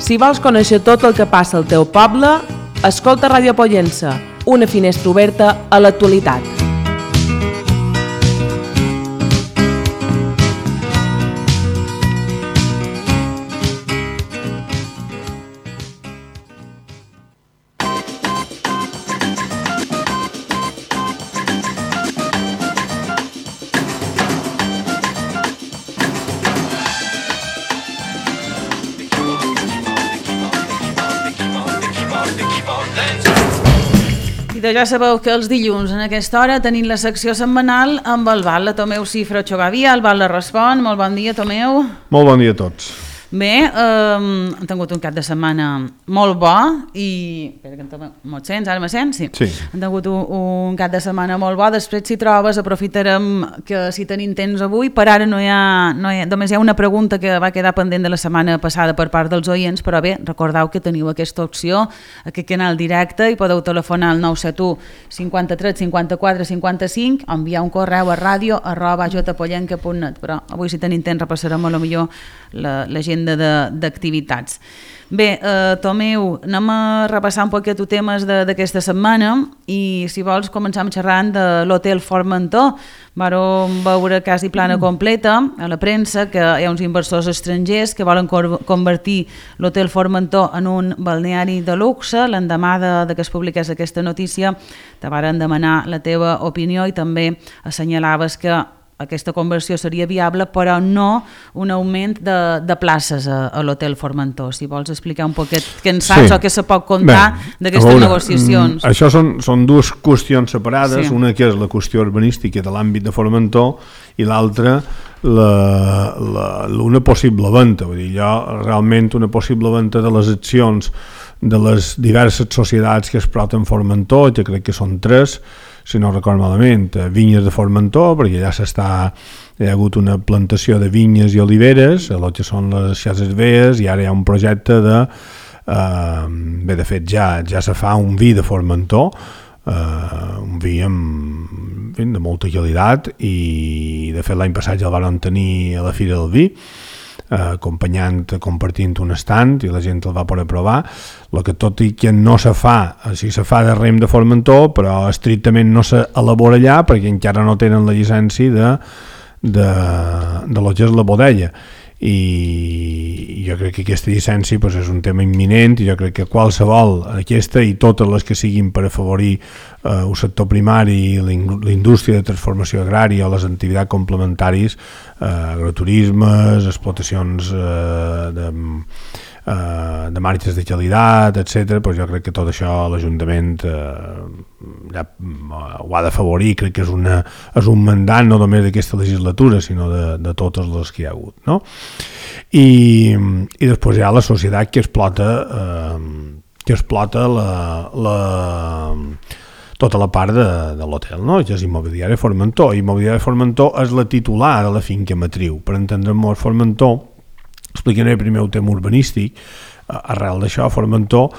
Si vols conèixer tot el que passa al teu poble, escolta Ràdio Pollença, una finestra oberta a l'actualitat. Ja sabeu que els dilluns en aquesta hora tenim la secció setmanal amb el Val, la Tomeu Cifra Xogavia, el Val la respon. Molt bon dia, Tomeu. Molt bon dia a tots. Bé, hem tingut un cap de setmana molt bo i... Espera que en Tomeu... Me'n sents? Ara me sents? Sí. Hem tingut un cap de setmana molt bo. Després, si trobes, aprofitarem que si tenim temps avui. Per ara només hi ha una pregunta que va quedar pendent de la setmana passada per part dels oients, però bé, recordeu que teniu aquesta opció, aquest canal directe, i podeu telefonar al 971 53 54 55, enviar un correu a radio@jpollenca.net, però avui si tenim temps repassarem a lo millor l'agenda d'activitats. Bé, Tomeu, anem a repassar un poquet temes d'aquesta setmana i si vols començar xerrant de l'Hotel Formentor. Vam veure quasi plana completa a la premsa que hi ha uns inversors estrangers que volen convertir l'Hotel Formentor en un balneari de luxe. L'endemà de que es publiqués aquesta notícia te varen demanar la teva opinió i també assenyalaves que aquesta conversió seria viable, però no un augment de places a l'Hotel Formentor. Si vols explicar un poquet què en saps o què se pot contar d'aquestes negociacions. Això són dues qüestions separades, una que és la qüestió urbanística de l'àmbit de Formentor i l'altra una possible venda. Vull dir, realment una possible venda de les accions de les diverses societats que es exploten Formentor, que crec que són 3, si no recordo malament, Vinyes de Formentor, perquè ja hi ha hagut una plantació de vinyes i oliveres, el que són les Xases Vees, i ara hi ha un projecte de fet ja se fa un vi de Formentor, un vi de molta qualitat, i de fet l'any passat ja el van tenir a la Fira del Vi, compartint un estand i la gent el va poder provar. El que tot i que no se fa, sí se fa de rem de Formentor, però estrictament no s'elabora allà perquè encara no tenen la llicència de lo que és la bodega, i jo crec que aquesta llicència és un tema imminent, i jo crec que qualsevol, aquesta i totes les que siguin per afavorir el sector primari, la indústria de transformació agrària o les activitats complementàries, agroturismes, explotacions de marques de qualitat, etc. Jo crec que tot això l'Ajuntament ja ho ha d'afavorir. Crec que és un mandat no només d'aquesta legislatura, sinó de totes les que hi ha hagut, no? I després hi ha la societat que explota tota la part de l'hotel, no? Que és Immobiliària Formentor. Immobiliària Formentor és la titular de la finca matriu. Per entendre'ns, Formentor, explicaré primer el tema urbanístic. Arrel d'això, Formentor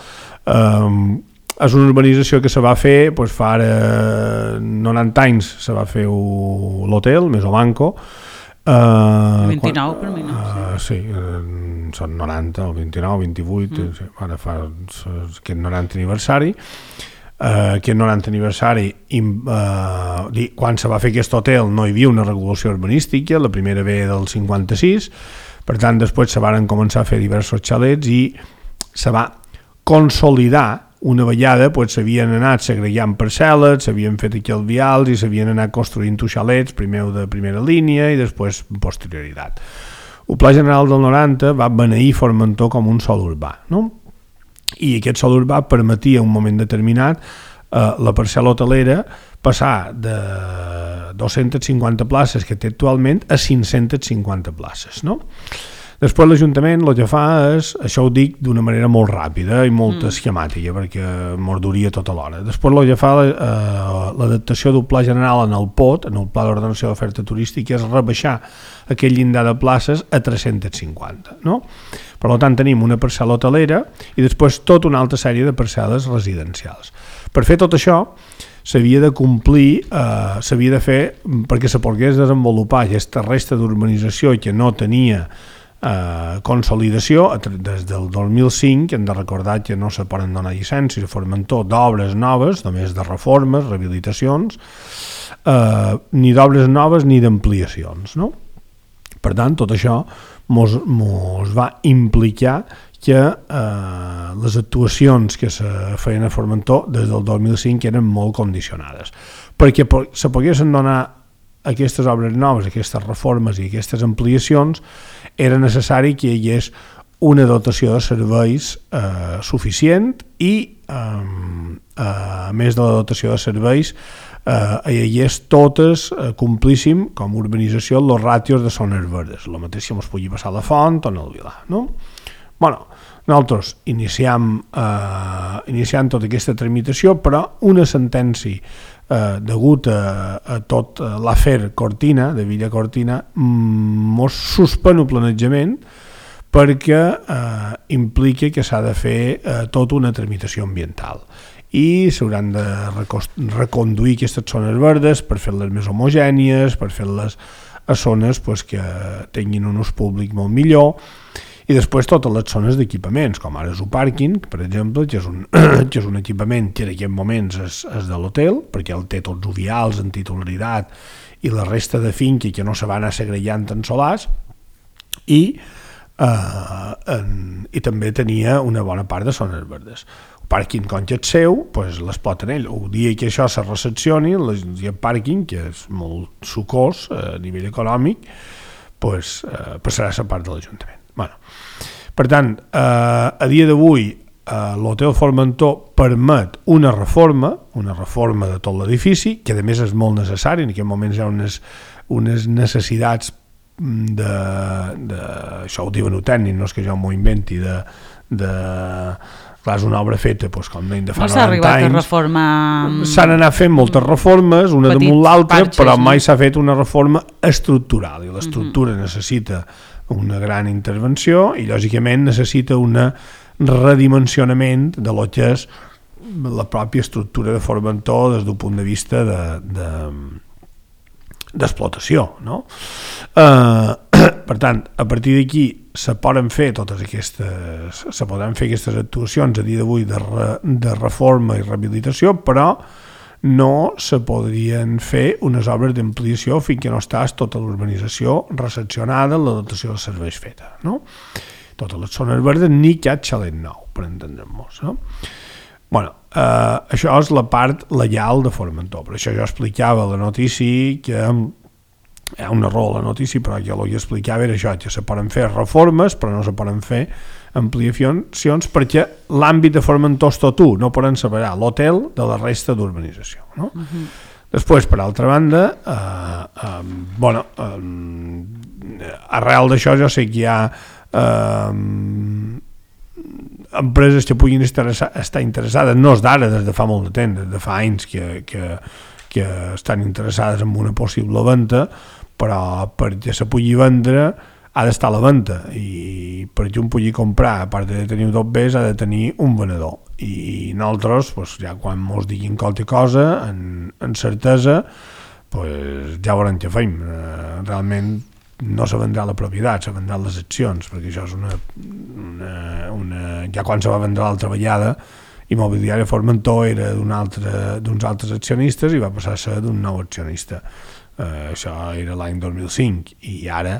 és una urbanització que se va fer fa ara 90 anys, se va fer l'hotel Mesobanco. 29 per mi, no? Sí, són 90 o 29, 28, ara fa aquest 90 aniversari. Aquest 90 aniversari, quan se va fer aquest hotel no hi havia una regulació urbanística, la primera ve del 56, per tant després se van començar a fer diversos xalets i se va consolidar. Una vegada s'havien anat segregant parcel·les, s'havien fet aquí els vials i s'havien anat construint xalets, primer de primera línia i després posterioritat. El Pla General del 90 va beneir Formentor com un sòl urbà, no? I aquest sòl urbà permetia en un moment determinat la parcel·la hotelera passar de 250 places que té actualment a 550 places, no? Després l'Ajuntament el que fa és, això ho dic d'una manera molt ràpida i molt esquemàtica perquè morduria tota l'hora. Després el que fa l'adaptació del Pla General en el POT, en el Pla d'Ordenació d'Oferta Turística, és rebaixar aquell llindar de places a 350, no? Per tant, tenim una parcel·la hotelera i després tota una altra sèrie de parcel·les residencials. Per fer tot això s'havia de complir, s'havia de fer perquè se pogués desenvolupar aquesta resta d'urbanització que no tenia consolidació. Des del 2005 hem de recordar que no se poden donar llicències a Formentor d'obres noves, només de reformes, rehabilitacions, ni d'obres noves ni d'ampliacions, no? Per tant, tot això mos va implicar que les actuacions que se feien a Formentor des del 2005 eren molt condicionades, perquè se poguessin donar aquestes obres noves, aquestes reformes i aquestes ampliacions, era necessari que hi hagués una dotació de serveis suficient i, a més de la dotació de serveis, hi hagués totes, complíssim, com a urbanització, els ràtios de zones verdes, el mateix que ens pugui passar a la Font o en el Vilar, no? Bueno, nosaltres iniciam tota aquesta tramitació, però una sentència degut a tot l'afer Cortina, de Villa Cortina, mos suspèn el planejament perquè implica que s'ha de fer tota una tramitació ambiental i s'hauran de reconduir aquestes zones verdes per fer-les més homogènies, per fer-les a zones que tinguin un ús públic molt millor, i després totes les zones d'equipaments, com ara és un pàrquing, per exemple, que és un equipament que en aquests moments és de l'hotel, perquè el té tots els vials en titularitat i la resta de finca que no se va anar segregant en solars, i també tenia una bona part de zones verdes. El pàrquing, com que és seu, les pot tenir ell. El dia que això se recepcioni, el pàrquing, que és molt sucós a nivell econòmic, passarà a ser part de l'Ajuntament. Bueno, per tant, a dia d'avui l'Hotel Formentor permet una reforma de tot l'edifici, que a més és molt necessari. En aquest moment hi ha unes necessitats això ho diuen tècnic, no és que jo m'ho inventi, clar, és una obra feta com deien de fa 90 anys. No s'ha arribat a reformar... S'han anat fent moltes reformes, una damunt l'altra, però mai s'ha fet una reforma estructural, i l'estructura necessita una gran intervenció i lògicament necessita un redimensionament de lo que és la pròpia estructura de Formentor des d'un punt de vista d'explotació, no? Per tant, a partir d'aquí se podran fer aquestes actuacions a dia d'avui de reforma i rehabilitació, però no se podrien fer unes obres d'ampliació fins que no estàs tota l'urbanització recepcionada, la dotació de serveis feta, no? Totes les zones verdes ni cap xalet nou, per entendre'ns, no? Bueno, això és la part legal de Formentor, per això jo explicava a la notícia que hi ha un error a la notícia, però jo el que explicava era això, que se poden fer reformes però no se poden fer ampliacions perquè l'àmbit de Formentor és tot no poden separar l'hotel de la resta d'urbanització, no? Després, per altra banda, arrel d'això jo sé que hi ha empreses que puguin estar interessades, no és d'ara, des de fa molt de temps, des de fa anys que estan interessades en una possible venda, però perquè se pugui vendre ha d'estar a la venda, i perquè un pugui comprar, a part de tenir tot bé, ha de tenir un venedor, i nosaltres, ja quan ens diguin qualque cosa, en certesa, ja veurem què fem. Realment no se vendrà la propietat, se vendran les accions, perquè això és ja quan se va vendre l'altra vegada, Immobiliària Formentor era d'uns altres accionistes i va passar a ser d'un nou accionista. Això era l'any 2005 i ara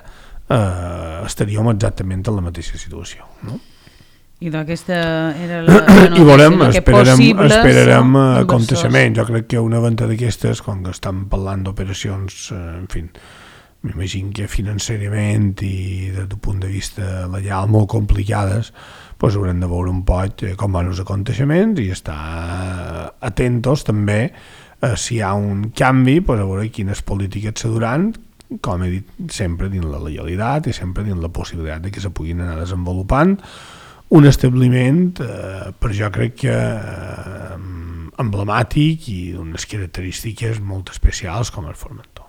estaríem exactament en la mateixa situació, no? I d'aquesta era la i veurem, esperarem aconteixement. Jo crec que una venda d'aquestes, quan estan parlant d'operacions, en fi, m'imagino que financerament i des d'un punt de vista legal molt complicades, haurem de veure un poc com van els aconteixements i estar atentos també si hi ha un canvi, a veure quines polítiques se duran, com he dit, sempre dins la legalitat i sempre dins la possibilitat de que se puguin anar desenvolupant un establiment, per jo crec que emblemàtic i d'unes característiques molt especials com el Formentor.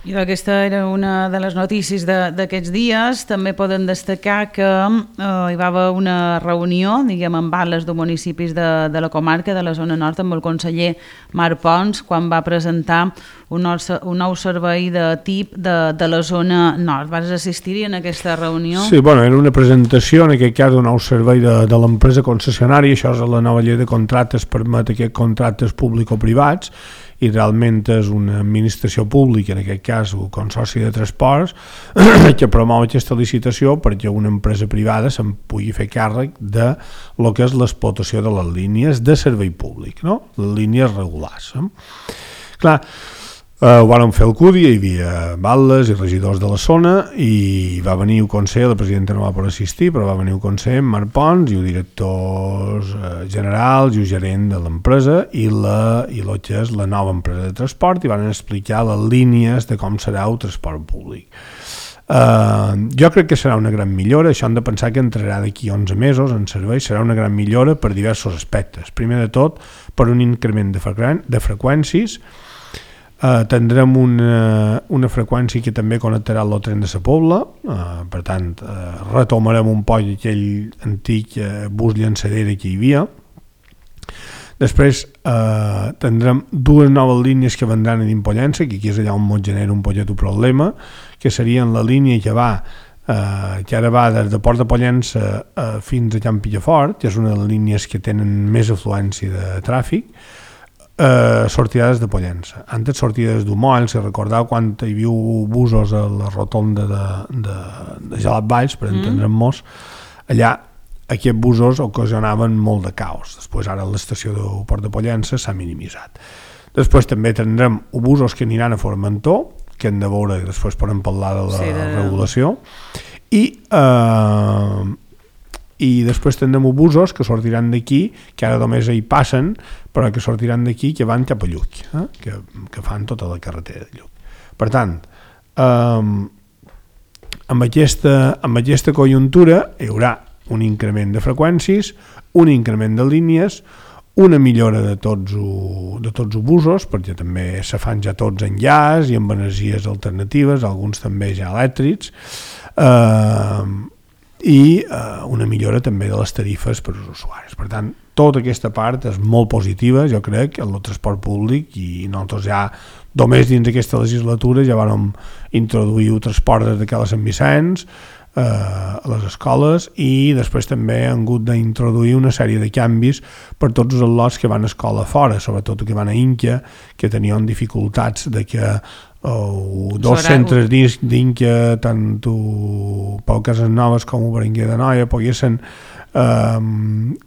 I aquesta era una de les notícies d'aquests dies. També podem destacar que hi va haver una reunió, diguem, amb batlles de municipis de la comarca, de la zona nord, amb el conseller Marc Pons, quan va presentar un nou servei de TIP de la zona nord. Vas assistir-hi en aquesta reunió? Sí, bueno, era una presentació, en aquest cas, d'un nou servei de l'empresa concessionària. Això és la nova llei de contractes, permet aquests contractes público-privats, i realment és una administració pública, en aquest cas un consorci de transports, que promou aquesta licitació perquè una empresa privada se'n pugui fer càrrec de lo que és l'explotació de les línies de servei públic, no? Les línies regulars. Clar, ho van fer el CUDI, hi havia batlles i regidors de la zona, i va venir el conseller, la presidenta no va poder assistir, però va venir el conseller Marc Pons i els directors generals i el gerent de l'empresa i el que és la nova empresa de transport, i van explicar les línies de com serà el transport públic. Jo crec que serà una gran millora. Això hem de pensar que entrarà d'aquí 11 mesos en servei. Serà una gran millora per diversos aspectes. Primer de tot, per un increment de freqüències. Tindrem una freqüència que també connectarà el tren de la Pobla, per tant retomarem un poc aquell antic bus llançadera que hi havia. Després tindrem dues noves línies que vendran a Impollença, que aquí és allà on ens genera un poquet de problema, que serien la línia que ara va des de Port de Pollença fins a Can Pillafort, que és una de les línies que tenen més afluència de tràfic. Sortida des de Pollença. Antes sortia des d'Humoll, si recordeu quan hi havia busos a la rotonda de Gelat Valls, per entendre'ns, allà aquests busos ocasionaven molt de caos. Després ara l'estació de Port de Pollença s'ha minimitzat. Després també tindrem busos que aniran a Formentor, que hem de veure, després podem parlar de la regulació, i després tindrem busos que sortiran d'aquí, que ara només hi passen, però que sortiran d'aquí, que van cap a Lluc, que fan tota la carretera de Lluc. Per tant, amb aquesta conjuntura hi haurà un increment de freqüències, un increment de línies, una millora de tots els busos, perquè també se fan ja tots en gas i amb energies alternatives, alguns també ja elèctrics, i una millora també de les tarifes per als usuaris. Per tant, tota aquesta part és molt positiva, jo crec, en el transport públic, i nosaltres ja només dins d'aquesta legislatura ja vam introduir el transport des de Cala Sant Vicenç a les escoles, i després també han hagut d'introduir una sèrie de canvis per tots els lots que van a escola fora, sobretot que van a Inca, que tenien dificultats de que dos centres d'Inca, tant Pau Casanovas com el Berenguer d'Anoia, poguessin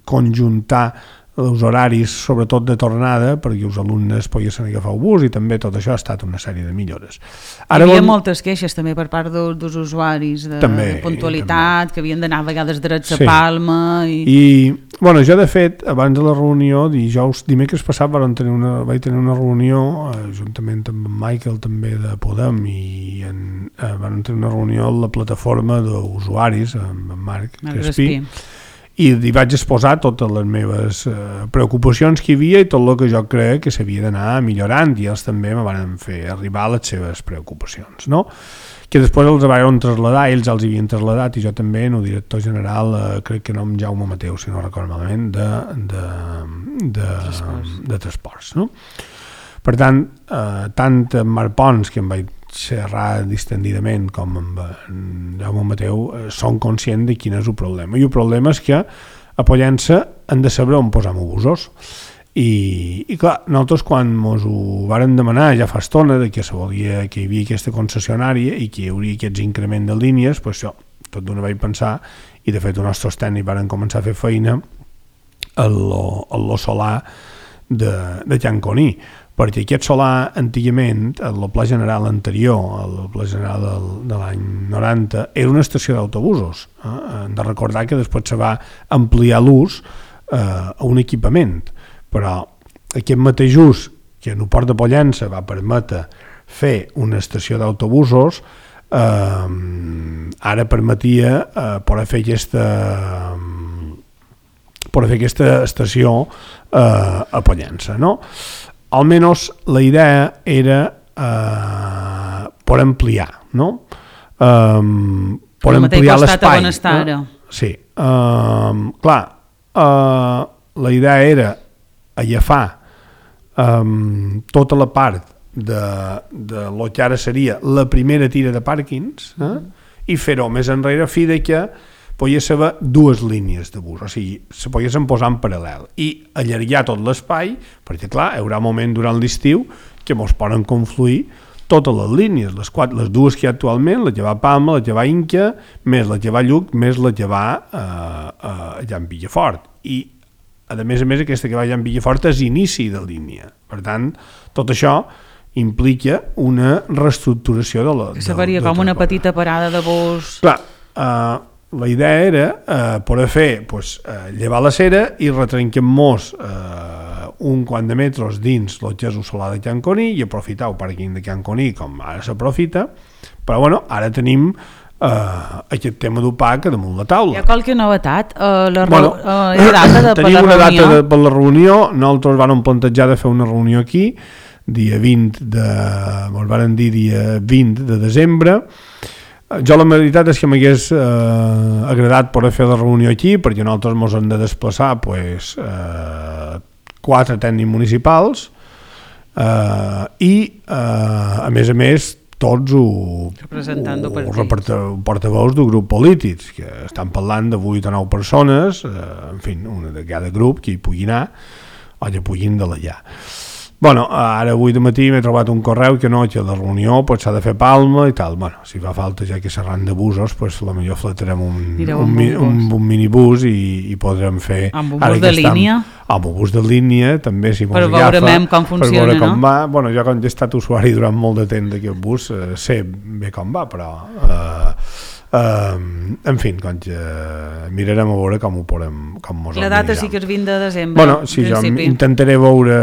conjuntar els horaris, sobretot de tornada, perquè els alumnes poguessin agafar el bus, i també tot això ha estat una sèrie de millores. Hi havia moltes queixes també per part dels usuaris de puntualitat, que havien d'anar a vegades drets a Palma. I bueno, jo de fet, abans de la reunió, dimecres passat vaig tenir una reunió juntament amb en Michael també de Podem, i vam tenir una reunió a la plataforma d'usuaris amb en Marc Crespí, i li vaig exposar totes les meves preocupacions que hi havia i tot el que jo crec que s'havia d'anar millorant, i ells també me van fer arribar les seves preocupacions, no? Que després els van traslladar, ells els havien traslladat, i jo també, el director general, crec que no amb Jaume Mateu, si no recordo malament, de transports, no? Per tant, tant en Marc Pons, que em vaig xerrar distendidament, com amb Jaume Mateu, són conscients de quin és el problema, i el problema és que a Pollença han de saber on posar busos, i clar, nosaltres quan ens ho varen demanar ja fa estona, que hi havia aquesta concessionària i que hi hauria aquests increments de línies, doncs jo tot d'una vaig pensar, i de fet els nostres tècnics varen començar a fer feina a lo solar de Can Coní, perquè aquest solar antigament, a la Pla General anterior, a la Pla General de l'any 90, era una estació d'autobusos. Hem de recordar que després se va ampliar l'ús a un equipament, però aquest mateix ús que en el Port de Pollença va permetre fer una estació d'autobusos, ara permetia poder fer aquesta estació a Pollença, no? Almenys la idea era per ampliar, no? Per ampliar l'espai. Sí. Clar, la idea era agafar tota la part de lo que ara seria la primera tira de pàrquings i fer-ho més enrere fi de que pogués haver dues línies de bus, o sigui, se poguessin posar en paral·lel i allargar tot l'espai, perquè clar, hi haurà moment durant l'estiu que mos poden confluir totes les línies, les dues que hi ha actualment, la que va a Palma, la que va a Inca, més la que va a Lluc, més la que va allà en Villafort. I, a més, aquesta que va allà en Villafort és inici de línia. Per tant, tot això implica una reestructuració de la... Que faria com una petita parada de bus... Clar, la idea era poder fer llevar la cera i retrenquem-nos un quant de metres dins el que és el solar de Can Coní i aprofitar el pàrquing de Can Coní com ara s'aprofita, però bueno, ara tenim aquest tema d'OPAC damunt la taula. Hi ha qualque novetat? Hi ha data per la reunió? Tenim una data per la reunió, nosaltres vam plantejar de fer una reunió aquí, dia 20 de desembre. Jo la veritat és que m'hagués agradat poder fer la reunió aquí, perquè nosaltres ens hem de desplaçar 4 tècnics municipals i a més tots portaveus de grups polítics que estan parlant de 8 o 9 persones, en fi, una de cada grup que hi pugui anar o que puguin delegar. Bueno, ara avui de matí m'he trobat un correu que la reunió s'ha de fer Palma i tal. Bueno, si fa falta ja que serran de busos, potser fletarem un minibús i podrem fer... Amb un bus de línia? Amb un bus de línia, també, si mos agafa. Per veure com funciona, per veure com va. Bueno, jo com he estat usuari durant molt de temps d'aquest bus, sé bé com va, però... en fi, mirarem a veure com ho podem... La data sí que és 20 de desembre. Bueno, sí, jo intentaré veure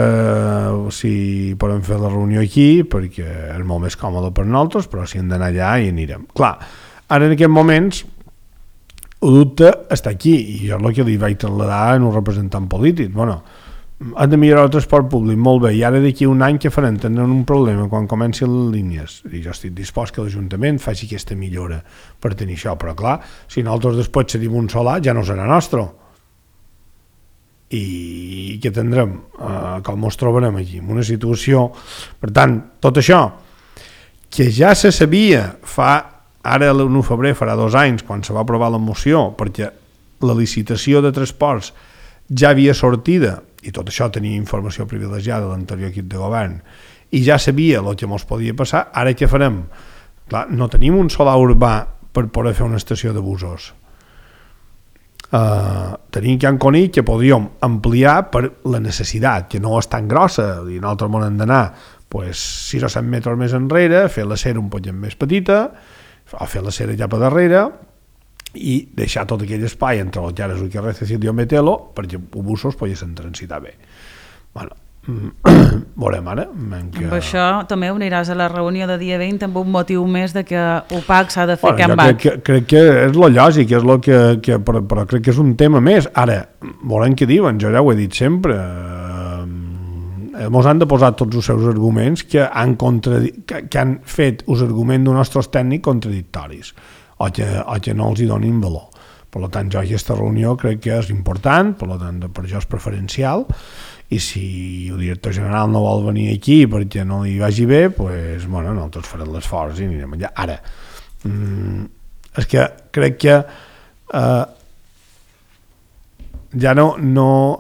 si podem fer la reunió aquí, perquè és molt més còmode per nosaltres, però si hem d'anar allà hi anirem. Clar, ara en aquests moments el dubte està aquí, i jo és el que li vaig trasladar a un representant polític. Bueno, han de millorar el transport públic, molt bé, i ara d'aquí un any que farem? Tindrem un problema quan comencin les línies, i jo estic dispost que l'Ajuntament faci aquesta millora per tenir això, però clar, si nosaltres després cedim un solar ja no serà nostre, i què tindrem? Com ens trobarem aquí? En una situació... Per tant, tot això que ja se sabia ara l'1 de febrer farà 2 anys quan se va aprovar la moció, perquè la licitació de transports ja havia sortida, i tot això tenia informació privilegiada de l'anterior equip de govern, i ja sabia el que ens podia passar. Ara què farem? Clar, no tenim un solar urbà per poder fer una estació de busos. Tenim Can Coní que podríem ampliar per la necessitat, que no és tan grossa, i nosaltres hem d'anar 6 o 7 metres més enrere, fer la cera un poquet més petita, o fer la cera ja per darrere, i deixar tot aquell espai entre el Llares i el carrer Cecilio Metelo perquè els busos poguessin transitar bé. Bueno, veurem ara. Amb això també uniràs a la reunió de dia 20 amb un motiu més de que OPAC s'ha de fer Can Bac. Crec que és lo lògic, és lo que però crec que és un tema més. Ara, veurem què diuen, jo ja ho he dit sempre, ens han de posar tots els seus arguments que han fet els arguments dels nostres tècnics contradictoris o que no els hi donin valor. Per tant, jo aquesta reunió crec que és important, per això és preferencial, i si el director general no vol venir aquí perquè no li vagi bé, doncs, bueno, nosaltres farem l'esforç i anirem allà. Ara, és que crec que ja no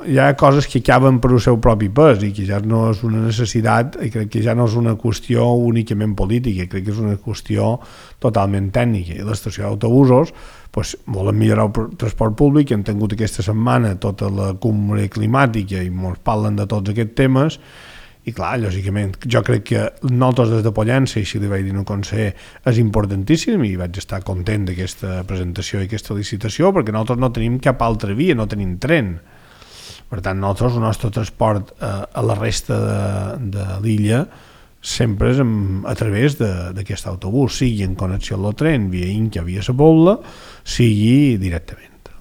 hi ha coses que acaben per el seu propi pes i que ja no és una necessitat, i crec que ja no és una qüestió únicament política, crec que és una qüestió totalment tècnica. I l'estació d'autobusos volen millorar el transport públic, hem tingut aquesta setmana tota la cumbre climàtica i ens parlen de tots aquests temes, i clar, lògicament, jo crec que nosaltres des de Pollença, i si li vaig dir al conseller, és importantíssim, i vaig estar content d'aquesta presentació i aquesta licitació, perquè nosaltres no tenim cap altra via, no tenim tren. Per tant, nosaltres, el nostre transport a la resta de l'illa sempre és a través d'aquest autobús, sigui en connexió amb el tren, via Inca, via la Pobla, sigui directament.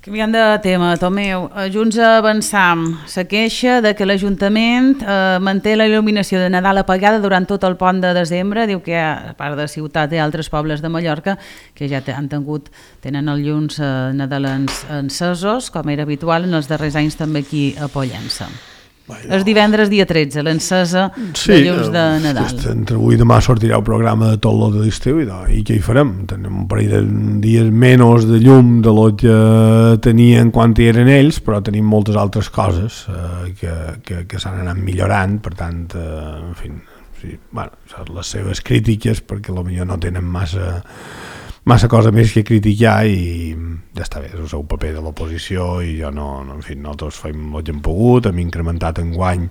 Canviant de tema, Tomeu, Junts Avançam se queixa de que l'Ajuntament manté la il·luminació de Nadal apagada durant tot el pont de desembre. Diu que a part de Ciutat i altres pobles de Mallorca que ja tenen els llums nadalens encesos, com era habitual en els darrers anys també aquí a Pollença. És divendres dia 13, l'encesa de llums de Nadal. Entre avui i demà sortirà el programa de tot l'ot de l'estiu i què hi farem? Tenim un parell de dies menys de llum de l'ot que tenien quan hi eren ells, però tenim moltes altres coses que s'han anat millorant, per tant, en fi, sí, bueno, les seves crítiques, perquè potser no tenen massa cosa més que criticar i ja està bé, és el seu paper de l'oposició i jo no, en fi, nosaltres fem el que hem pogut, hem incrementat enguany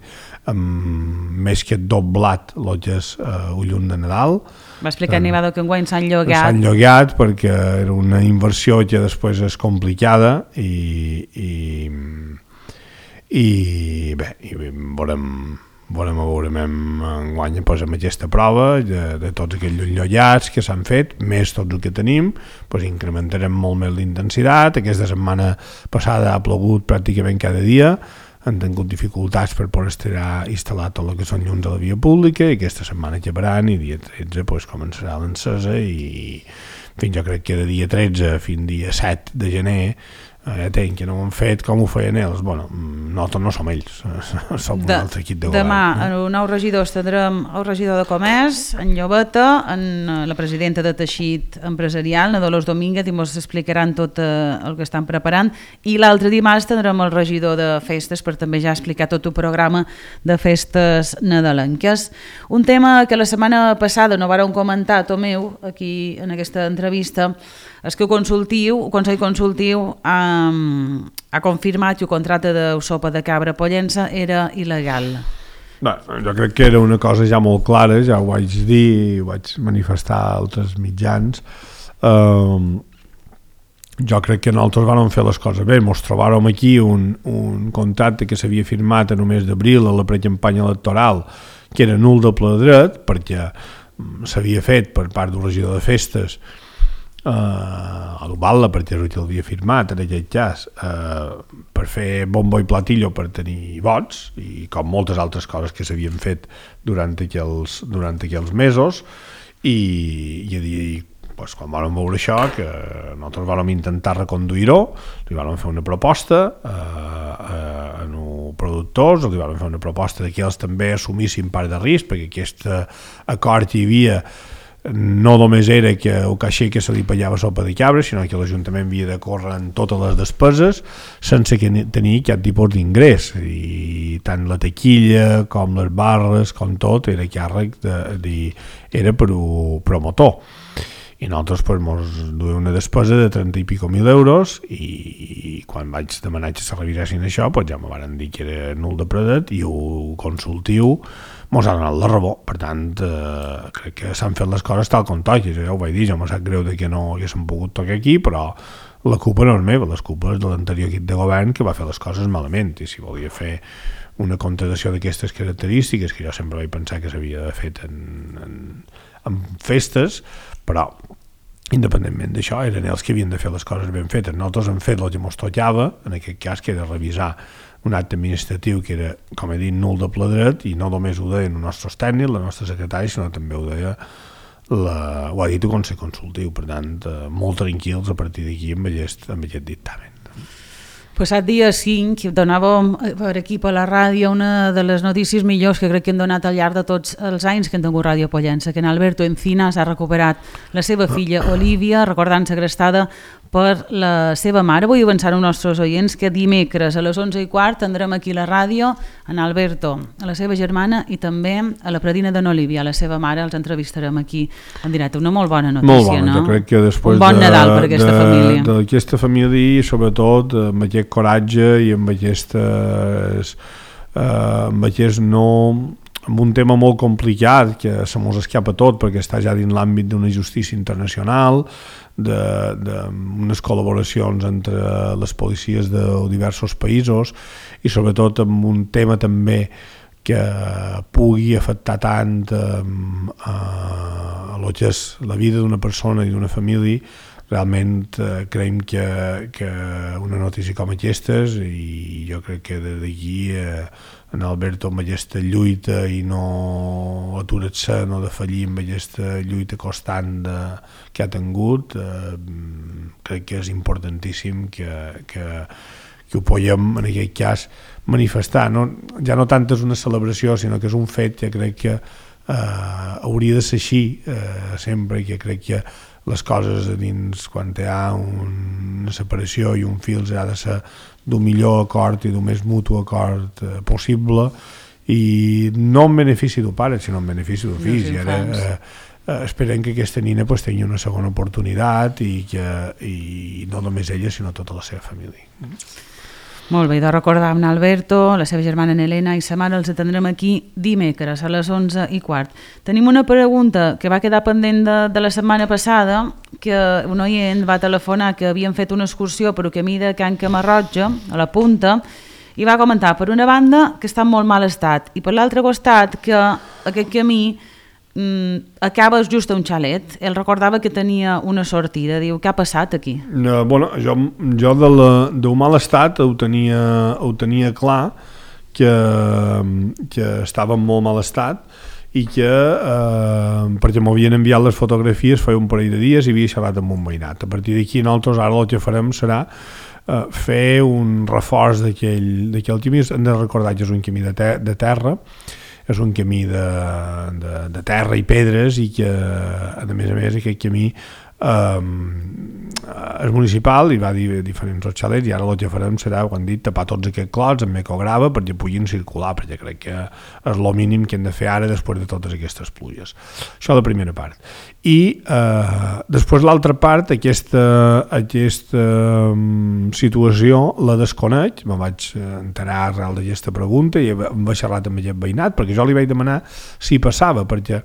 més que doblat l'otges un llum de Nadal. Va explicar Nivado que enguany s'han llogat. S'han llogat perquè era una inversió que després és complicada i bé, veurem enguany amb aquesta prova de tots aquells llollats que s'han fet, més tots el que tenim, doncs incrementarem molt més l'intensitat. Aquesta setmana passada ha plogut pràcticament cada dia, han tingut dificultats per poder instal·lar tot el que són llums a la via pública i aquesta setmana acabaran i dia 13 començarà l'encesa i fins jo crec que de dia 13 fins dia 7 de gener tenc que no ho han fet com ho feien ells. Bueno, nosaltres no som ells, som un altre equip de govern. Demà, nous regidors tindrem el regidor de Comerç, en Llobeta, la presidenta de Teixit Empresarial, na Dolors Domínguez, i ens explicaran tot el que estan preparant, i l'altre dimarts tindrem el regidor de Festes per també ja explicar tot el programa de festes nadalenques. Un tema que la setmana passada no vàrem comentar, Tomeu, aquí en aquesta entrevista, és que el Consell Consultiu ha confirmat que el contracte de sopa de cabra a Pollença era il·legal. Bé, jo crec que era una cosa ja molt clara, ja ho vaig dir, ho vaig manifestar a altres mitjans. Jo crec que nosaltres vam fer les coses bé. Ens trobàrem aquí un contracte que s'havia firmat a només d'abril a la precampanya electoral, que era nul de ple dret, perquè s'havia fet per part del regidor de Festes a l'Ubalda, perquè l'havia firmat en aquest cas per fer bombo i platillo per tenir vots, i com moltes altres coses que s'havien fet durant aquells mesos, i quan vam veure això, que nosaltres vam intentar reconduir-ho, li vam fer una proposta a els productors, li vam fer una proposta que ells també assumissin part de risc, perquè aquest acord que hi havia no només era que el caixer que se li pagava sopa de cabra, sinó que l'Ajuntament havia de córrer en totes les despeses sense tenir cap tipus d'ingrés, i tant la taquilla com les barres com tot era càrrec era per un promotor, i nosaltres ens duia una despesa de 30 i pico mil euros, i quan vaig demanar que se revisessin això ja me van dir que era nul de predet, i el consultiu mos ha donat la raó. Per tant, crec que s'han fet les coses tal com toca. Ja ho vaig dir, jo me sap greu que no haguéssim pogut tocar aquí, però la culpa no és meva, la culpa és de l'anterior equip de govern que va fer les coses malament, i si volia fer una contratació d'aquestes característiques, que jo sempre vaig pensar que s'havia de fer en festes, però independentment d'això eren ells que havien de fer les coses ben fetes. Nosaltres hem fet el que ens tocava, en aquest cas, que era revisar un acte administratiu que era, com he dit, nul de ple dret, i no només ho deien els nostres tècnics, la nostra secretària, sinó també ho deia ho ha dit el Consell Consultiu. Per tant, molt tranquils a partir d'aquí amb aquest dictamen. Passat dia 5 donàvem per aquí per la ràdio una de les notícies millors que crec que hem donat al llarg de tots els anys que hem tingut Ràdio Pollença, que en Alberto Encinas ha recuperat la seva filla Olivia, recordant segrestada per la seva mare. Vull avançar als nostres oients que dimecres a les 11:15 tindrem aquí la ràdio en Alberto, a la seva germana, i també a la predina d'en Olivia, a la seva mare. Els entrevistarem aquí en directe. Una molt bona notícia, molt bona, no? Jo crec que després un bon Nadal per aquesta família. D'aquesta família, i sobretot amb aquest coratge i amb aquest amb un tema molt complicat que se mos escapa tot perquè està ja dins l'àmbit d'una justícia internacional, d'unes col·laboracions entre les policies de diversos països, i sobretot amb un tema també que pugui afectar tant a lo que és la vida d'una persona i d'una família, realment creiem que una notícia com aquestes, i jo crec que des d'aquí en Alberto amb aquesta lluita i no aturar-se, no defallir amb aquesta lluita constant que ha tingut, crec que és importantíssim que ho podem en aquest cas manifestar, ja no tant és una celebració sinó que és un fet que crec que hauria de ser així sempre, que crec que les coses a dins, quan hi ha una separació i un fil, ha de ser d'un millor acord i d'un més mutu acord possible, i no en benefici del pare sinó en benefici del fill. I ara esperem que aquesta nina tingui una segona oportunitat i no només ella sinó tota la seva família. Molt bé, de recordar amb Alberto, la seva germana Helena i sa mare. Els atendrem aquí dimecres a les 11:15. Tenim una pregunta que va quedar pendent de la setmana passada, que un oient va telefonar que havien fet una excursió per el camí de Can Camarroja, a la Punta, i va comentar, per una banda, que està en molt mal estat, i per l'altre costat, que aquest camí acabes just a un xalet. Ell recordava que tenia una sortida. Diu, què ha passat aquí? Jo del mal estat ho tenia clar, que estava en molt mal estat i que perquè m'havien enviat les fotografies feia un parell de dies i havia xerrat amb un veïnat. A partir d'aquí nosaltres ara el que farem serà fer un reforç d'aquell camí. Hem de recordar que és un camí de terra, és un camí de terra i pedres, i que a més aquest camí és municipal i va dir diferents xalets, i ara el que farem serà, ho han dit, tapar tots aquests clots amb ecograva perquè puguin circular, perquè crec que és el mínim que hem de fer ara després de totes aquestes pluges. Això la primera part. I després l'altra part, aquesta situació la desconec, me vaig enterar arrel d'aquesta pregunta i em va xerrar amb aquest veïnat, perquè jo li vaig demanar si passava, perquè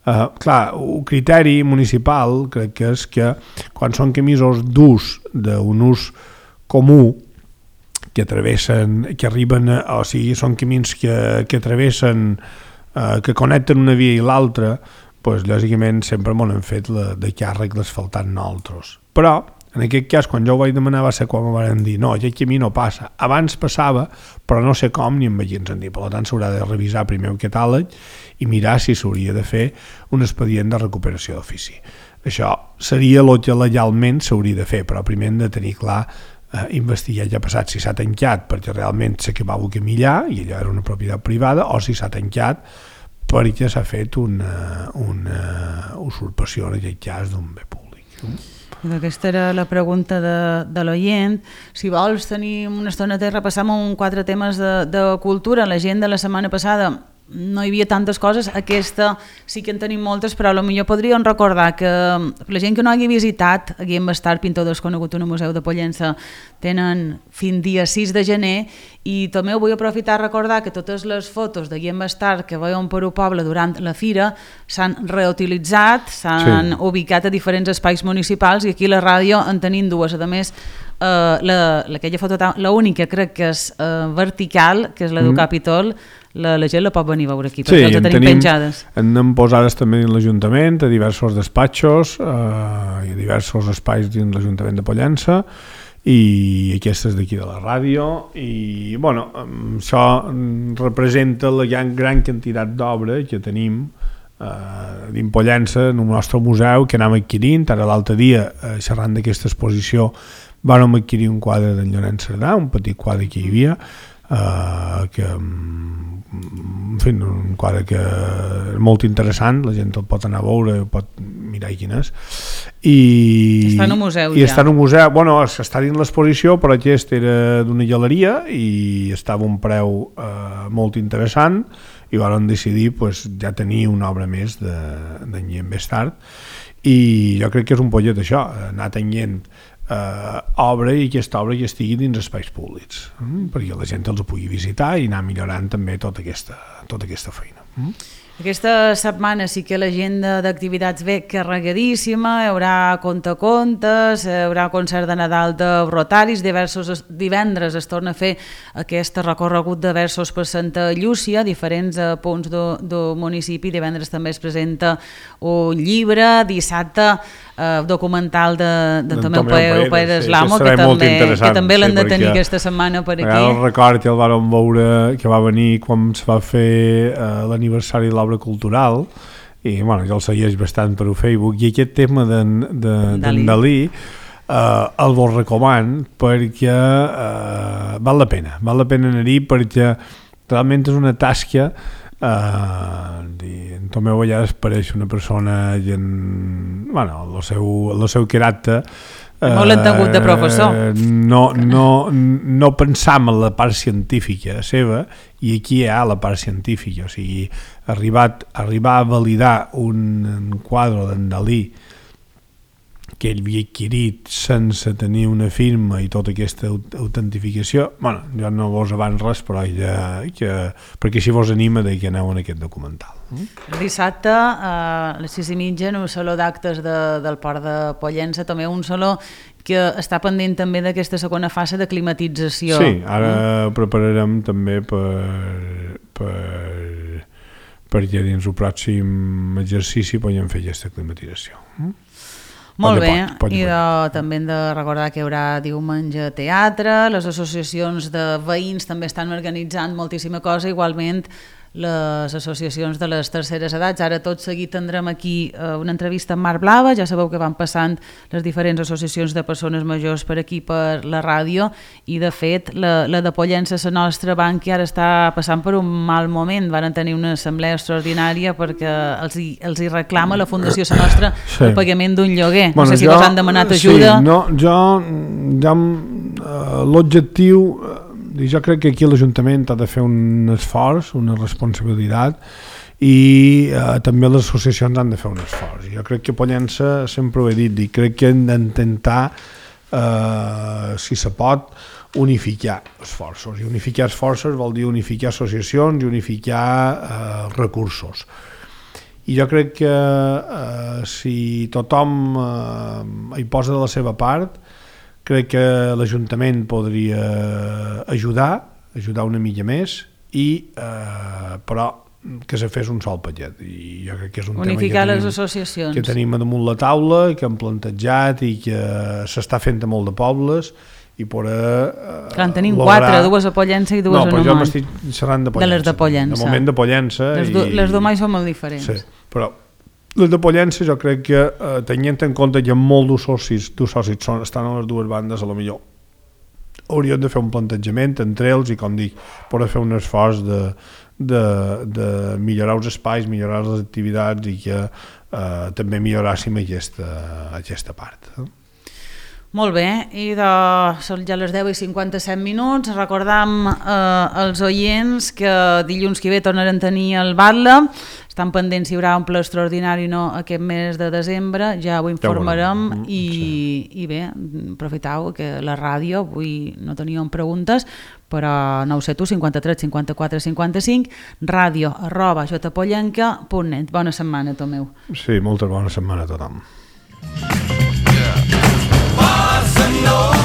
clar, un criteri municipal crec que és que quan són camisos d'ús, d'un ús comú, que travessen, que arriben, o sigui, són camins que travessen, que connecten una via i l'altra, doncs lògicament sempre m'ho hem fet de càrrec d'asfaltar nosaltres. Però en aquest cas, quan jo ho vaig demanar, va ser quan em van dir no, aquest camí no passa. Abans passava, però no sé com ni amb veïns en dir. Per tant, s'haurà de revisar primer el catàleg i mirar si s'hauria de fer un expedient de recuperació d'ofici. Això seria el que legalment s'hauria de fer, però primer hem de tenir clar, investigar què ha passat, si s'ha tancat perquè realment s'acabava el camí allà i allò era una propietat privada, o si s'ha tancat perquè s'ha fet una usurpació, en aquest cas, d'un bé públic. Aquesta era la pregunta de l'oient. Si vols tenir una estona de repassar amb 4 temes de cultura. La gent de la setmana passada no hi havia tantes coses, aquesta sí que en tenim moltes, però potser podríem recordar que la gent que no hagi visitat Guillem Bastard, pintor desconegut en el Museu de Pollença, tenen fins dia 6 de gener, i també vull aprofitar a recordar que totes les fotos de Guillem Bastard que veiem per el poble durant la fira s'han reutilitzat, s'han ubicat a diferents espais municipals, i aquí a la ràdio en tenim 2. A més, aquella foto, l'única crec que és vertical, que és la del Capitol, la gent la pot venir a veure aquí, perquè els tenim penjades. Anem posades també dins l'Ajuntament, a diversos despatxos i a diversos espais dins l'Ajuntament de Pollença, i aquestes d'aquí de la ràdio, i bueno, això representa la gran quantitat d'obra que tenim dins Pollença, en el nostre museu, que anem adquirint. Ara l'altre dia, xerrant d'aquesta exposició, vam adquirir un quadre d'en Llorenç Cerdà, un petit quadre que hi havia, que en fi, un quadre que és molt interessant, la gent el pot anar a veure, pot mirar quin és, i està en un museu, està en un museu, bueno, està dins l'exposició, però aquest era d'una galeria i estava a un preu molt interessant, i vam decidir ja tenir una obra més d'en Guillem Bastard, i jo crec que és un pollet això, anar tenint obra, i aquesta obra que estigui dins espais públics, perquè la gent els pugui visitar i anar millorant també tota aquesta feina. Aquesta setmana sí que l'agenda d'activitats ve carregadíssima, hi haurà contes, hi haurà concert de Nadal de Rotaris, divendres es torna a fer aquest recorregut de versos per Santa Llúcia, diferents punts del municipi, divendres també es presenta un llibre, dissabte documental de Tomeu Pérez Lamo, que també l'han de tenir aquesta setmana per aquí. El record que el vam veure, que va venir quan es va fer l'aniversari de l'obra cultural, i bueno, jo el segueix bastant per Facebook, i aquest tema d'en Dalí el vos recoman perquè val la pena anar-hi, perquè realment és una tasca. En Tomeu a vegades pareix una persona el seu caràcter molt l'entengut de professor, no pensam en la part científica seva, i aquí hi ha la part científica, o sigui, arribar a validar un quadre d'en Dalí que ell havia adquirit sense tenir una firma i tota aquesta autentificació, jo no vos abans res, però perquè així vos anima que aneu en aquest documental. El dissabte a les 6:30 en un saló d'actes del Port de Pollença, també un saló que està pendent també d'aquesta segona fase de climatització. Sí, ara prepararem també perquè dins el pròxim exercici podem fer aquesta climatització. Molt bé, i també hem de recordar que hi haurà diumenge teatre, les associacions de veïns també estan organitzant moltíssima cosa, igualment les associacions de les terceres edats. Ara tot seguit tindrem aquí una entrevista amb Marc Blava, ja sabeu que van passant les diferents associacions de persones majors per aquí per la ràdio, i de fet la de Pollença, la nostra banca, ara està passant per un mal moment. Van tenir una assemblea extraordinària perquè els hi reclama la Fundació La Nostra el pagament d'un lloguer. No sé si vos han demanat ajuda. L'objectiu, jo crec que aquí l'Ajuntament ha de fer un esforç, una responsabilitat, i també les associacions han de fer un esforç. Jo crec que Pollença, sempre ho he dit, i crec que hem d'intentar, si se pot, unificar esforços. I unificar esforços vol dir unificar associacions i unificar recursos. I jo crec que si tothom hi posa de la seva part, crec que l'Ajuntament podria ajudar una mica més, però que se fes un sol paquet. I jo crec que és un unificar tema les associacions que tenim damunt la taula, que hem plantejat i que s'està fent a molt de pobles, i que en tenim 4, 2 a Pollença i 2 a Nomont. No, però jo m'estic xerrant de Pollença. De les de Pollença. De moment de Pollença. Les d'Omai són molt diferents. Sí, però les de Pollença jo crec que, tenint en compte que molts socis estan a les dues bandes, a lo millor haurien de fer un plantejament entre ells i, com dic, poder fer un esforç de millorar els espais, millorar les activitats, i que també milloràssim aquesta part. Molt bé, i són ja les 10:57. Recordam als oients que dilluns que ve tornaran a tenir el Batlle. Estan pendents si hi haurà un ple extraordinari o no aquest mes de desembre, ja ho informarem. I bé, aprofiteu que la ràdio, avui no teníem preguntes, però 971 53 54 55, radio@jpollenca.net. Bona setmana, Tomeu. Sí, molta bona setmana a tothom. Bossa Nova.